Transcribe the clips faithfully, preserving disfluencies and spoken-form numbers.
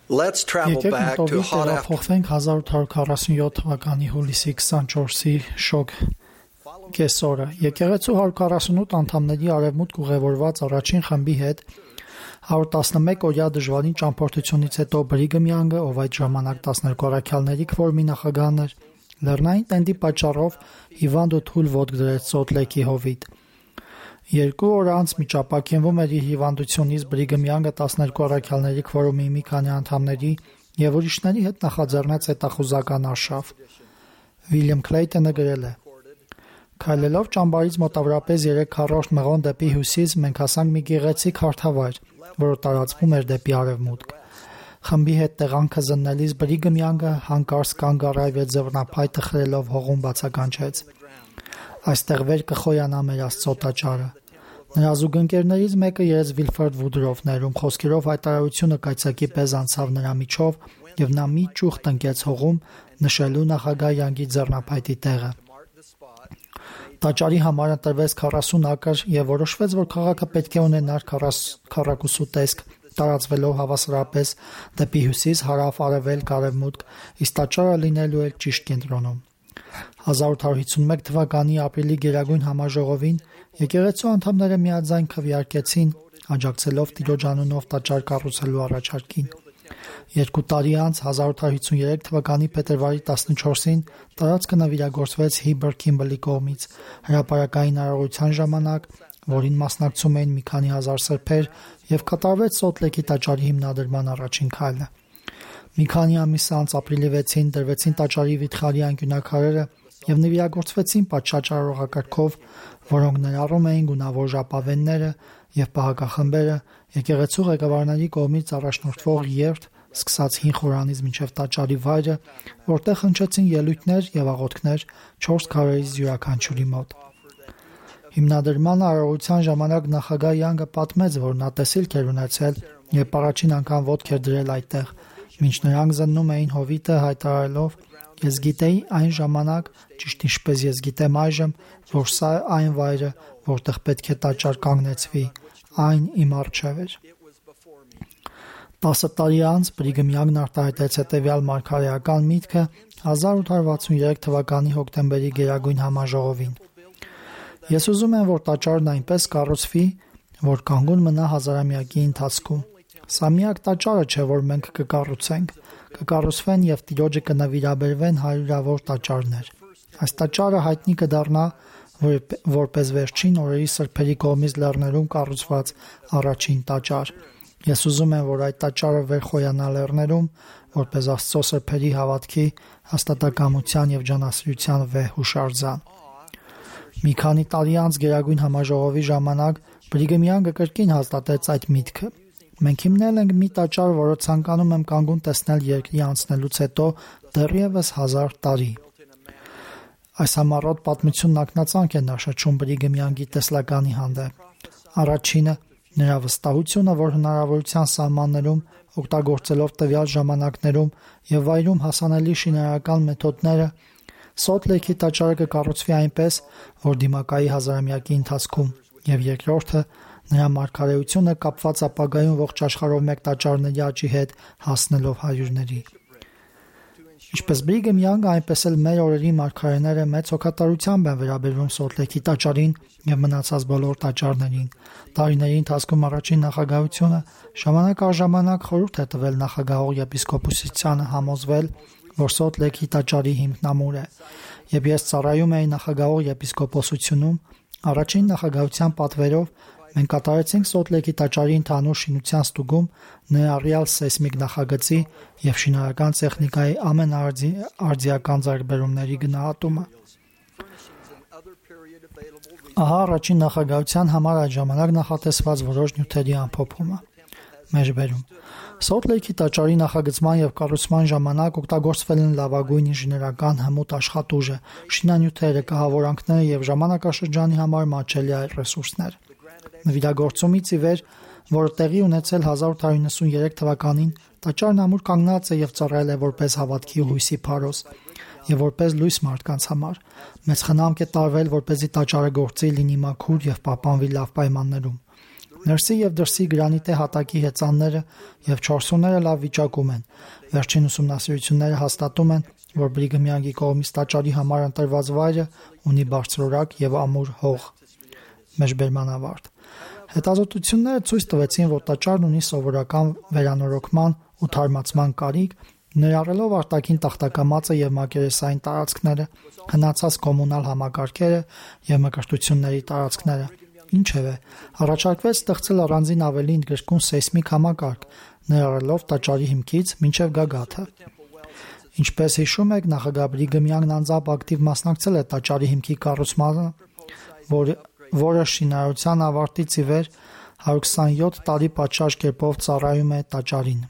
Let's travel Եկեք back to մտովի hot after. տեղափոխվենք հազար ութ հարյուր քառասունյոթ թվականի հուլիսի քսանչորսի շոգ կեսօրը։ Եկեղեցու հարյուր քառասունութ անդամների արևմուտք ուղևորված առաջին խմբի հետ հարյուր տասնմեկ օրյա դժվարին ճամփորդությունից հետո Բրիգհամ Յանգը, ով այդ ժամանակ տասներկու առաքյալների քվորմի նախագահն էր, լեռնային տենդի պատճառով հիվանդ ու թույլ ոտք դրեց Սոլտ Լեյքի հովիտ։ Երկու օր անց միջապակենվում էր իր հիվանդությունից Բրիգհամ Յանգը տասներկու առաքյալների քվորումի մի քանի անդամների և ուրիշների հետ նախաձեռնեց հետախուզական արշավ։ Վիլյամ Քլեյտոնը գրել է. Քայլելով ճամբարից մոտավորապես երեք քառորդ մղոն դեպի հյուսիս մենք հասանք մի գեղեցիկ հարթավայր, որը տարածվում էր դեպի արևմուտք։ Խմբի հետ տեղանքը զննելիս Բրիգհամ Յանգը հանկարծ կանգ առավ և ձեռնափայտը խրելով հողում բացականչեց. «Այստեղ վեր կխոյանա մեր Աստծո տաճարը»։ Նրա զուգընկերներից մեկը երեց Վիլֆրեդ Վուդրոֆն էր, ում խոսքերով հայտարարությունը կայծակի պես անցավ նրա միջով, և նա մի ճուղ տնկեց հողում, նշելու նախագահ Յանգի ձեռնափայտի տեղը։ Տաճարի համար ընտրվեց քառասուն ակր և որոշվեց, որ քաղաքը պետք է ունենար քառակուսու տեսք, տարածվելով հավասարապես դեպի հյուսիս, հարավ, արևելք, արևմուտք, իսկ տաճարը լինելու էր ճիշտ կենտրոնում։ հազար ութ հարյուր հիսունմեկ թվականի ապրիլի գերագույն համաժողովին եկեղեցու անդամները միաձայն քվեարկեցին, աջակցելով Տիրոջ անունով տաճար կառուցելու առաջարկին։ Երկու տարի անց հազար ութ հարյուր հիսուներեք թվականի փետրվարի տասնչորսին տարածքը նվիրագործվեց Հիբր Քիմբլի կողմից հրապարակային արարողության ժամանակ, որին մասնակցում էին մի քանի հազար սրբեր, և կատարվեց Սոլտ Լեյքի տաճարի հիմնադրման առաջին քայլը։ Մի քանի ամիս անց ապրիլի վեցին դրվեցին տաճարի վիթխարի անկյունաքարերը և նվիրագործվեցին պատշաճ-արարողակարգով, որոնք ներառում էին գունավոր ժապավենները և պահակախմբերը, եկեղեցու ղեկավարների կողմից առաջնորդվող երթ, սկսած հին խորանից մինչև տաճարի վայրը, որտեղ հնչեցին ելույթներ և աղոթքներ չորս քարերից յուրաքանչյուրի մոտ։ Հիմնադրման արարողության ժամանակ նախագահ Յանգը պատմեց, որ նա տեսիլք էր ունեցել, երբ առաջին անգամ ոտք էր դրել այդտեղ, մինչ նրանք զննում էին հովիտը, հայտարարելով. «Ես գիտեի այն ժամանակ, ճիշտ ինչպես ես գիտեմ այժմ, որ սա է այն վայրը, որտեղ պետք է տաճար կանգնեցվի, այն իմ առջև էր»։ Տասը տարի անց Բրիգհամ Յանգն արտահայտեց հետևյալ մարգարեական միտքը հազար ութ հարյուր վաթսուներեք թվականի հոկտեմբերի գերագույն համաժողովին. «Ես ուզում եմ, որ տաճարն այնպես կառուցվի, որ կանգուն մնա հազարամյակի ընթացքում։ Սա միակ տաճարը չէ, որ մենք կկառուցենք, կկառուցվեն և Տիրոջը կնվիրաբերվեն հարյուրավոր տաճարներ։ Այս տաճարը հայտնի կդառնա որպես վերջին օրերի սրբերի կողմից լեռներում կառուցված առաջին տաճար։ Ես ուզում եմ, որ այդ տաճարը վեր խոյանա լեռներում, որպես Աստծո սրբերի հավատքի, հաստատակամության և ջանասիրության վեհ հուշարձան»։ Մի քանի տարի անց Գերագույն համաժողովի ժամանակ Բրիգհամ Յանգը կրկին հաստատեց այդ միտքը. «Մենք հիմնել ենք մի տաճար, որը ցանկանում եմ կանգուն տեսնել երկրի անցնելուց հետո դեռևս հազար տարի»։ Այս համառոտ պատմությունն ակնածանք է ներշնչում Բրիգհամ Յանգի տեսլականի հանդեպ։ Առաջինը՝ նրա վստահությունը, որ հնարավորության սահմաններում, օգտագործելով տվյալ ժամանակներում և վայրում հասանելի շինարարական մեթոդները, Սոլտ Լեյքի տաճարը կկառուցվի այնպես, որ դիմակայի հազարամյակի ընթացքում, և երկրորդը՝ նրա մարգարեությունը կապված ապագայում ողջ աշխարհով մեկ տաճարների աճի հետ հասնելով հարյուրների։ Ինչպես Բրիգհամ Յանգը, այնպես էլ մեր օրերի մարգարեները մեծ հոգատարությամբ են վերաբերվում Սոլտ Լեյքի տաճարին և մնացած բոլոր տաճարներին։ Տարիների ընթացքում առաջին նախագահությունը ժամանակ առ ժամանակ խորհուրդ է տվել նախագահող եպիսկոպոսությանը համոզվել, որ Սոլտ Լեյքի տաճարի հիմքնամուր է, և ես ծառայում էի նախագահող եպիսկոպոսությունում, առաջին նախագահության պատվերով մենք կատարեցինք Սոլտ Լեյքի տաճարի ընդհանուր շինության ստուգում, ներառյալ սեյսմիկ նախագծի և շինարարական տեխնիկայի ամենաարդիական ձեռքբերումների գնահատումը։ Ահա առաջին նախագահության համար այդ ժամանակ նախատեսված որոշ նյութերի ամփոփումը։ Մեջբերում. Սոլտ Լեյքի տաճարի նախագծման և կառուցման ժամանակ օգտագործվել են լավագույն ինժեներական հմուտ աշխատուժը, շինանյութերը, կահավորանքները և ժամանակաշրջանի համար մատչելի այլ ռեսուրսներ։ Նվիրագործումից ի վեր, որը տեղի ունեցել հազար ութ հարյուր նվաթսուներեք թվականին, տաճարն ամուր կանգնած է և ծառայել է որպես հավատքի ու հույսի փարոս և որպես լույս մարդկանց համար։ Մեծ խնամք է տարվել, որպեսզի տաճարը գործի, լինի մաքուր և պահպանվի լավ պայմաններում։ Ներսի եւ դրսի գրանիտե հատակի հեծանները եւ չորսուները լավ վիճակում են։ Վերջին ուսումնասիրությունները հաստատում են, որ Բրիգհամ Յանգի կողմից տաճարի համար ընտրված վայրը ունի բարձրորակ եւ ամուր հող։ Մեջբերման ավարտ։ Հետազոտությունները ցույց տվեցին, որ տաճարն ունի սովորական վերանորոգման ու թարմացման կարիք, ներառելով արտաքին տախտակամածը եւ մակերեսային տարածքները, հնացած կոմունալ համակարգերը եւ մկրտությունների տարածքները։ Ինչևէ, առաջարկվեց ստեղծել առանձին ավելի ընդգրկուն սեյսմիկ համակարգ, ներառելով տաճարի հիմքից մինչև գագաթը։ Ինչպես հիշում եք, նախագահ Բրիգհամ Յանգն անձամբ ակտիվ մասնակցել է տաճարի հիմքի կառուցմանը, որ, որը շինարարության ավարտից ի վեր հարյուր քսանյոթ տարի պատշաճ կերպով ծառայում է տաճարին։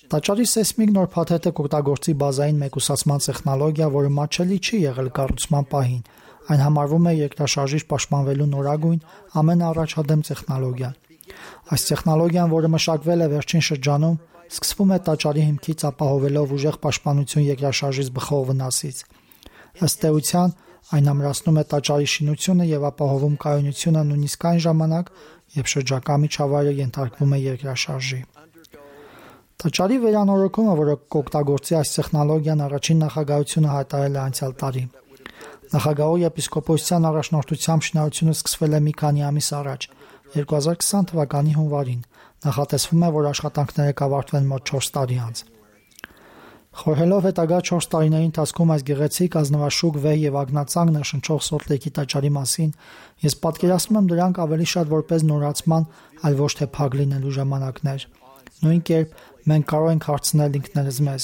Տաճարի սեյսմիկ նոր փաթեթը կօգտագործի բազային մեկուսացման տեխնոլոգիա, որը մատչելի չի եղել կառուցման պահին։ Այն համարվում է երկրաշարժից պաշտպանվելու նորագույն ամենաառաջադեմ տեխնոլոգիան։ Այս տեխնոլոգիան, որը մշակվել է վերջին շրջանում, սկսվում է տաճարի հիմքից ապահովելով ուժեղ պաշտպանություն երկրաշարժից բխող վնասից։ Ըստ էության, այն ամրացնում է տաճարի շինությունը եւ ապահովում կայունությունը նույնիսկ այն ժամանակ, երբ շրջակա միջավայրը ենթարկվում է երկրաշարժի։ Տաճարի վերանորոգումը, որը կօգտագործի այս տեխնոլոգիան, առաջին նախագահությունը հայտարարել է անցյալ տարի։ Նախագահի եպիսկոպոսության առաջնորդությամբ շինարարությունը սկսվել է մի քանի ամիս առաջ, երկու հազար քսան թվականի հունվարին։ Նախատեսվում է, որ աշխատանքները կավարտվեն մոտ չորս տարի անց։ Խորհելով հետագա չորս տարիների ընթացքում այս գեղեցիկ ազնվաշուք վեհ եւ ագնացանք ներշնչող Սոլտ Լեյքի տաճարի մասին, ես պատկերացնում եմ դրանք ավելի շատ որպես նորացման, այլ ոչ թե փակ լինելու ժամանակներ։ Նույն կերպ մենք կարող ենք հարցնել ինքներս մեզ.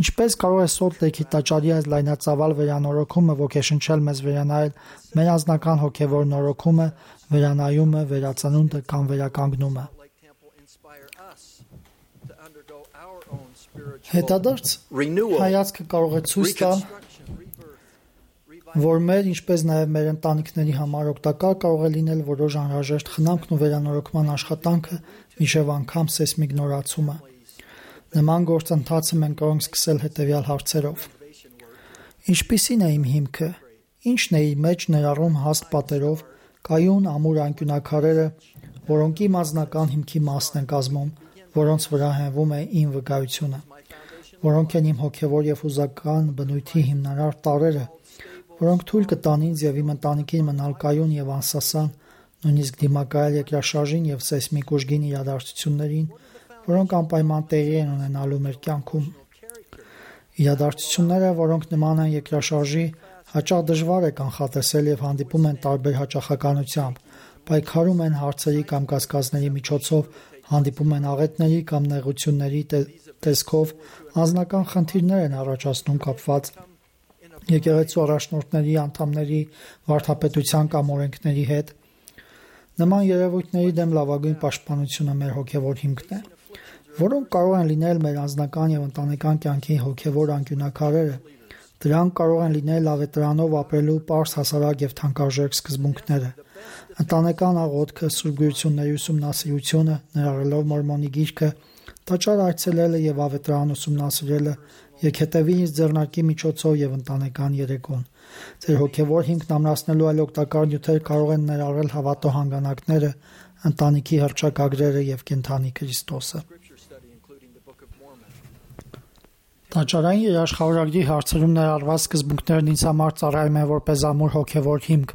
ինչպես կարող է Սոլտ Լեյքի տաճարի այս լայնածավալ վերանորոգումը ոգեշնչել մեզ վերանայել մեր անձնական հոգևոր նորոգումը, վերանայումը, վերածնունդը կամ վերականգնումը։ Հետադարձ հայացքը կարող է ցույց տալ, որ մեր, ինչպես նաև մեր ընտանիքների համար օգտակար կարող է լինել որոշ անհրաժեշտ խնամքն ու վերանորոգման աշխատանքը մինչև անգամ սեյսմիկ նորացումը։ Նման գործընթացը մենք կարող ենք սկսել հետևյալ հարցերով. Ինչպիսին է իմ հիմքը, ինչն է իր մեջ ներառում հաստ պատերով, կայուն ամուր անկյունակարերը, որոնք իմ անձնական հիմքի մասն են կազմում, որոնց վրա հենվում է իմ վկայությունը, որոնք են իմ հոգևոր եւ հուզական բնույթի հիմնարար տարրերը, որոնք թույլ կտան ինձ եւ իմ ընտանիքին մնալ կայուն եւ անսասան, նույնիսկ դիմակայել երկրաշարժին եւ սեյսմիկ ուժգին իրադարձություններին, որոնք անպայման տեղի են ունենալու մեր կյանքում։ Իրադարձությունները, որոնք նման են երկրաշարժի, հաճախ դժվար է կանխատեսել եւ հանդիպում են տարբեր հաճախականությամբ, պայքարում են հարցերի կամ կասկածների միջոցով, հանդիպում են աղետների կամ նեղությունների տեսքով, անձնական խնդիրներ են առաջացնում կապված եկեղեցու առաջնորդների, անդամների, վարդապետության կամ օրենքների հետ։ Նման երևույթների դեմ լավագույն պաշտպանությունը մեր հոգևոր հիմքն է, որոնք կարող են լինել մեր անձնական եւ ընտանեկան կյանքի հոգևոր անկյունակարերը։ Դրանք կարող են լինել ավետարանով ապրելու պարզ, հասարակ եւ թանկարժեք սկզբունքները, ընտանեկան աղոթքը, սուրբգույությունների ուսումնասիրությունը, ներառելով Մորմոնի գիրքը, տաճար այցելելը եւ ավետարան ուսումնասիրելը, եկհետեւի ինձ ձեռնարկի միջոցով եւ ընտանեկան երեկոն։ Ձեր հոգևոր հիմքն ամրացնելու այլ օգտակար նյութեր կարող են ներառել հավատո հանգանակները, ընտանիքի հռչակագրերը եւ կենդանի Քրիստոսը։ Տաճարային երաշխավորագրի հարցերում ներառված սկզբունքներն ինձ համար ծառայում են որպես ամուր հոգևոր հիմք,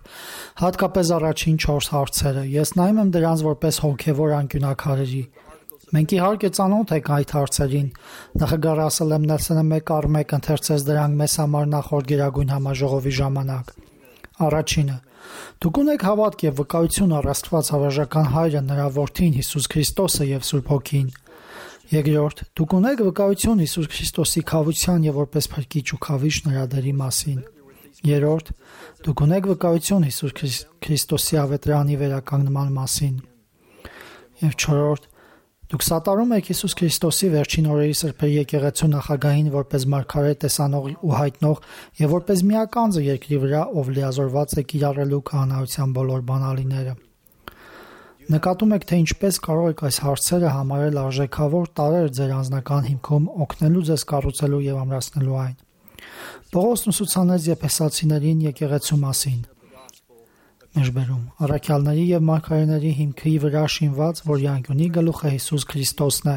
հատկապես առաջին չորս հարցերը։ Ես նայում եմ դրանց որպես հոգևոր անկյունակարերի։ Մենք իհարկե ծանոթ ենք այդ հարցերին։ Նախագահ Ռասել Էմ Նելսոնը մեկ առ մեկ ընթերցեց դրանք մեզ համար նախորդ Գերագույն համաժողովի ժամանակ։ Առաջինը. Դուք ունեք հավատք եւ վկայություն առ Աստված հավերժական Հայրը, նրա Որդին Հիսուս Քրիստոսը եւ Սուրբ Հոգին։ Երկրորդ. Դուք ունեք վկայություն Հիսուս Քրիստոսի քավության եւ որպես փրկիչ ու քավիչ նրա դերի մասին։ Երրորդ. Դուք ունեք վկայություն Հիսուս Քրիստոսի ավետարանի վերականգնման մասին։ Եվ չորրորդ. Դուք սատարում եք Հիսուս Քրիստոսի վերջին օրերի սրբերի եկեղեցու նախագահին որպես մարգարե տեսանող ու հայտնող եւ որպես միականձը երկրի վրա, ով լիազորված է կիրառելու քահանայության բոլոր բանալիները։ Նկատում եք, թե ինչպես կարող եք այս հարցերը համարել արժեքավոր տարրեր ձեր անձնական հիմքում, օգնելու ձեզ կառուցելու եւ ամրացնելու այն։ Պողոսն ուսուցանեց եփեսացիներին եկեղեցու մասին։ Մեջբերում առաքյալների եւ մարգարեների հիմքի վրա շինված, որի անկյունի գլուխը Հիսուս Քրիստոսն է,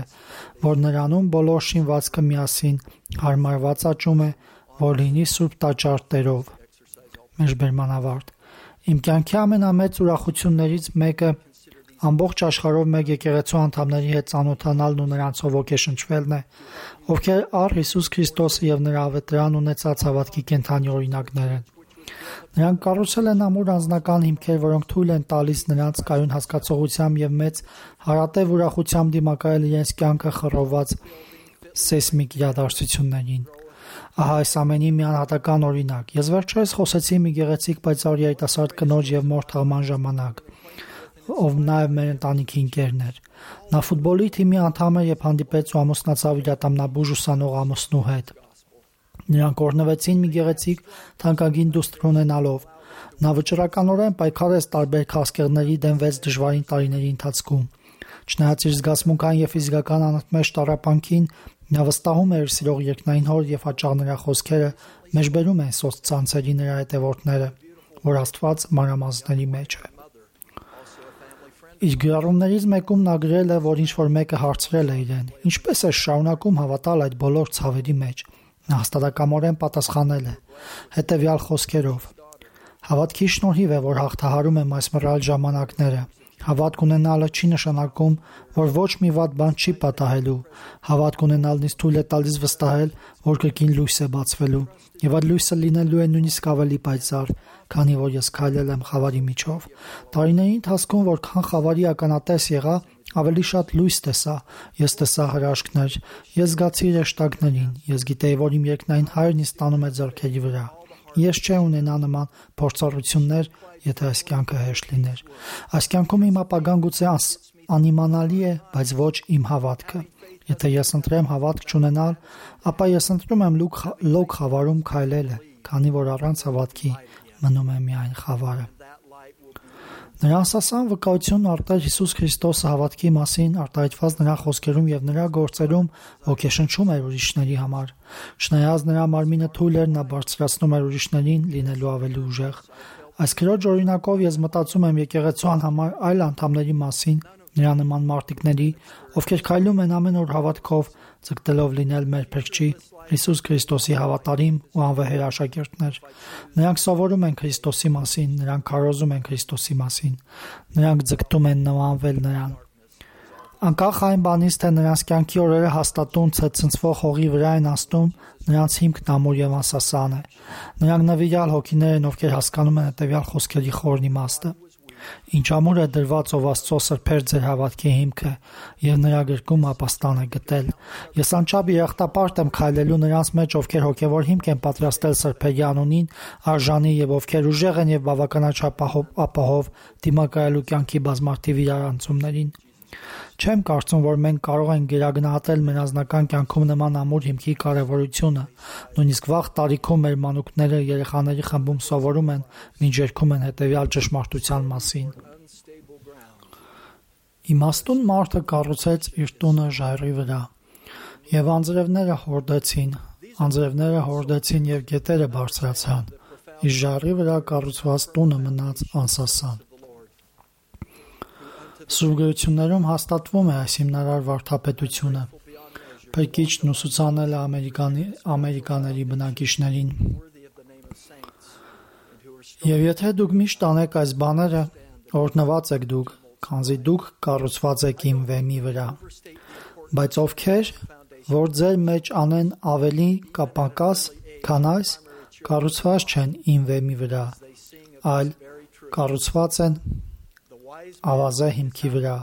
որ նրանում բոլոր շինվածքը միասին հարմարված աճում է, որ լինի սուրբ տաճար Տերով։ Մեջբերման ավարտ։ Իմ կյանքի ամենամեծ ուրախություններից մեկը ամբողջ աշխարհով մեկ եկեղեցու անդամների հետ ծանոթանալն ու նրանցով ոգեշնչվելն է, ովքեր առ Հիսուս Քրիստոսը եւ նրա ավետարան ունեցած հավատքի կենդանի օրինակներ են։ Նրանք կառուցել են ամուր անձնական հիմքեր, որոնք թույլ են տալիս նրանց կայուն հասկացողությամբ եւ մեծ հարատև ուրախությամբ դիմակայել իրենց կյանքը խռովված սեյսմիկ իրադարձություններին։ Ահա այս ամենի մի անհատական օրինակ։ Ես վերջերս խոսեցի մի գեղեցիկ պայծառ երիտասարդ կնոջ եւ մոր թաղման ժամանակ, ով նաեւ մեր ընտանիքի ընկերն էր։ Նա ֆուտբոլի թիմի անդամ էր եւ հանդիպեց ու ամուսնացավ իր ատամնաբուժ ուսանող ամուսնու հետ։ Նրանք օրհնվեցին մի գեղեցիկ թանկագին դուստր ունենալով։ Նա վճռականորեն պայքարեց տարբեր քաղցկեղների դեմ վեց դժվարին տարիների ընթացքում։ Չնայած իր զգացմունքային եւ ֆիզիկական անընդմեջ տառապանքին, նա վստահում էր սիրող երկնային հոր եւ հաճախ նրա խոսքերը մեջբերում են սոցցանցերի նրա հետևորդները, որ Աստված մանրամասների մեջ է։ Իր գրառումներից մեկում նա գրել է, որ ինչ-որ մեկը հարցրել է իրեն. «Ինչպես է շարունակում հավատալ այդ բոլոր ցավերի մեջ»։ Նա հաստատակամորեն պատասխանել է հետևյալ խոսքերով. «Հավատքի շնորհիվ է, որ հաղթահարում եմ այս մռայլ ժամանակները։ Հավատք ունենալը չի նշանակում, որ ոչ մի վատ բան չի պատահելու։ Հավատք ունենալն ինձ թույլ է տալիս վստահել, որ կրկին լույս է բացվելու, եւ այդ լույսը լինելու է նույնիսկ ավելի պայծառ, քանի որ ես քայլել եմ խավարի միջով։ Տարիների ընթացքում, որքան խավարի ականատես եղա, ավելի շատ լույս տեսա, ես տեսա հրաշքներ, ես զգացի հրեշտակներին, ես գիտեի, որ իմ երկնային Հայրն ինձ տանում է ձեռքերի վրա։ Ես չէ ունենա նման փորձառություններ, եթե այս կյանքը հեշտ լիներ։ Այս կյանքում իմ ապագան գուցե անիմանալի է, բայց ոչ իմ հավատքը։ Եթե ես ընտրեմ հավատք չունենալ, ապա ես ընտրում եմ լոկ խավարում քայլելը, քանի որ առանց հավատքի մնում է միայն խավարը»։ Նրա ասասան վկայությունն արտեր Հիսուս Քրիստոսը հավատքի մասին արտահայտված նրա խոսքերում եւ նրա գործերում ոգեշնչում էր ուրիշների համար։ Չնայած նրա մարմինը թույլ էր, նա բարձրացնում էր ուրիշներին լինելու ավելի ուժեղ։ Այս քրոջ օրինակով ես մտածում եմ եկեղեցու անհամար այլ անդամների մասին, նրա նման մարտիկների, ովքեր քայլում են ամեն օր հավատքով, ցկտելով լինել մեր Փրկչի Հիսուս Քրիստոսի հավատարիմ ու անվեհեր աշակերտներ։ Նրանք սովորում են Քրիստոսի մասին, նրանք քարոզում են Քրիստոսի մասին, նրանք ձգտում են նմանվել նրան։ Անկախ այն բանից, թե նրանց կյանքի օրերը հաստատուն ցնցվող հողի վրա են անցնում, նրանց հիմքն ամուր եւ անսասան է։ Նրանք նվիրյալ հոգիներ են, ովքեր հասկանում են հետեւյալ խոսքերի խորն իմաստը. «Ինչ ամուր է դրված, ով Աստծո սրբեր ձեր հավատքի հիմքը, եւ նրա գրկում ապաստան է գտել։ Ես անչափ երախտապարտ եմ քայլելու նրանց մեջ, ովքեր հոգեվոր հիմք են պատրաստել սրբերի անունին, արժանի եւ ովքեր ուժեղ են եւ բավականաչափ ապահով դիմակայելու կյանքի բազմաթիվ իրարանցումներին։ Չեմ կարծում, որ մենք կարող ենք գերագնահատել մեր անձնական կյանքում նման ամուր հիմքի կարևորությունը։ Նույնիսկ վաղ տարիքում մեր մանուկները երեխաների խմբում սովորում են, մինչ երգում են հետևյալ ճշմարտության մասին. «Իմաստուն մարդը կառուցեց իր տունը ժայռի վրա, եւ անձրևները հորդեցին, անձրևները հորդեցին եւ գետերը բարձրացան, իսկ ժայռի վրա կառուցված տունը մնաց անսասան»։ Սուրբ գրություններում հաստատվում է այս հիմնարար վարդապետությունը։ Փրկիչն ուսուցանել է ամերիկանի, ամերիկաների բնակիչներին. «Եվ եթե դուք միշտ անեք այս բաները, օրհնված եք դուք, քանզի դուք կառուցված եք իմ վեմի վրա։ Բայց ովքեր, որ ձեր մեջ անեն ավելի կապակաս, քան այս, կառուցված չեն իմ վեմի վրա, այլ կառուցված են ավազե հիմքի վրա,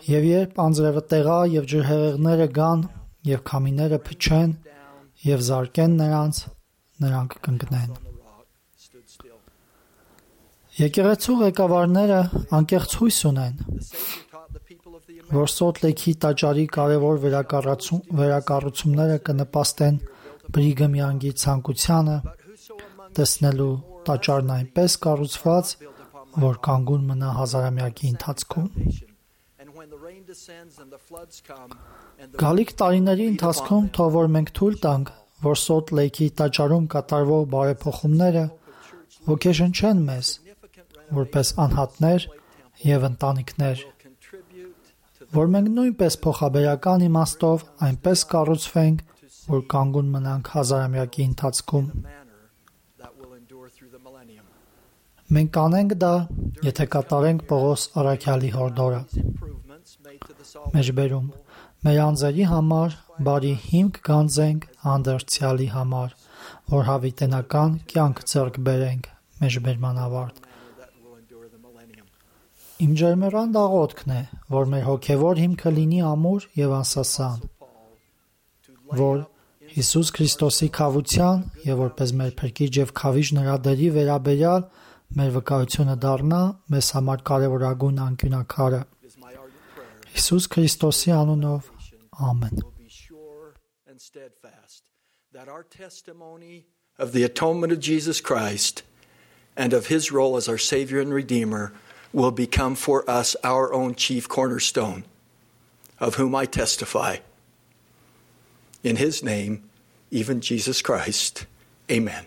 եւ երբ անձրևը տեղա եւ ջրհեղեղները գան եւ քամիները փչեն եւ զարկեն նրանց, նրանք կընկնեն»։ Եկեղեցու ղեկավարները անկեղծ հույս ունեն, որ Սոլտ Լեյքի տաճարի կարևոր վերակառուցումները կնպաստեն Բրիգհեմ Յանգի ցանկությանը տեսնելու տաճարն այնպես կառուցված, որ կանգուն մնա հազարամյակի ընթացքում։ Գալիք տարիների ընթացքում թող որ մենք թույլ տանք, որ Սոլտ Լեյքի տաճարում կատարվող բարեփոխումները ոգեշնչեն մեզ, որպես անհատներ եւ ընտանիքներ, որ մենք նույնպես փոխաբերական իմաստով այնպես կառուցվենք, որ կանգուն մնանք հազարամյակի ընթացքում։ Մենք կանենք դա, եթե կատարենք Պողոս առաքյալի հորդորը։ Մեջբերում մեր անձերի համար բարի հիմք գանձենք հանդերձյալի համար, որ հավիտենական կյանք ձեռք բերենք։ Մեջբերման ավարտ։ Իմ ջերմեռան աղոթքն է, որ մեր հոգևոր հիմքը լինի ամուր եւ անսասան, որ Հիսուս Քրիստոսի քավության եւ որպես մեր փրկիչ եւ քավիչ նրա դերի վերաբերյալ մեր վկայությունը դառնա մեզ համար կարևորագույն անկյունակարը։ Հիսուս Քրիստոսի անունով, ամեն։ Of the atonement of Jesus Christ and of his role as our Savior and Redeemer will become for us our own chief cornerstone, of whom I testify. In his name, even Jesus Christ. Amen.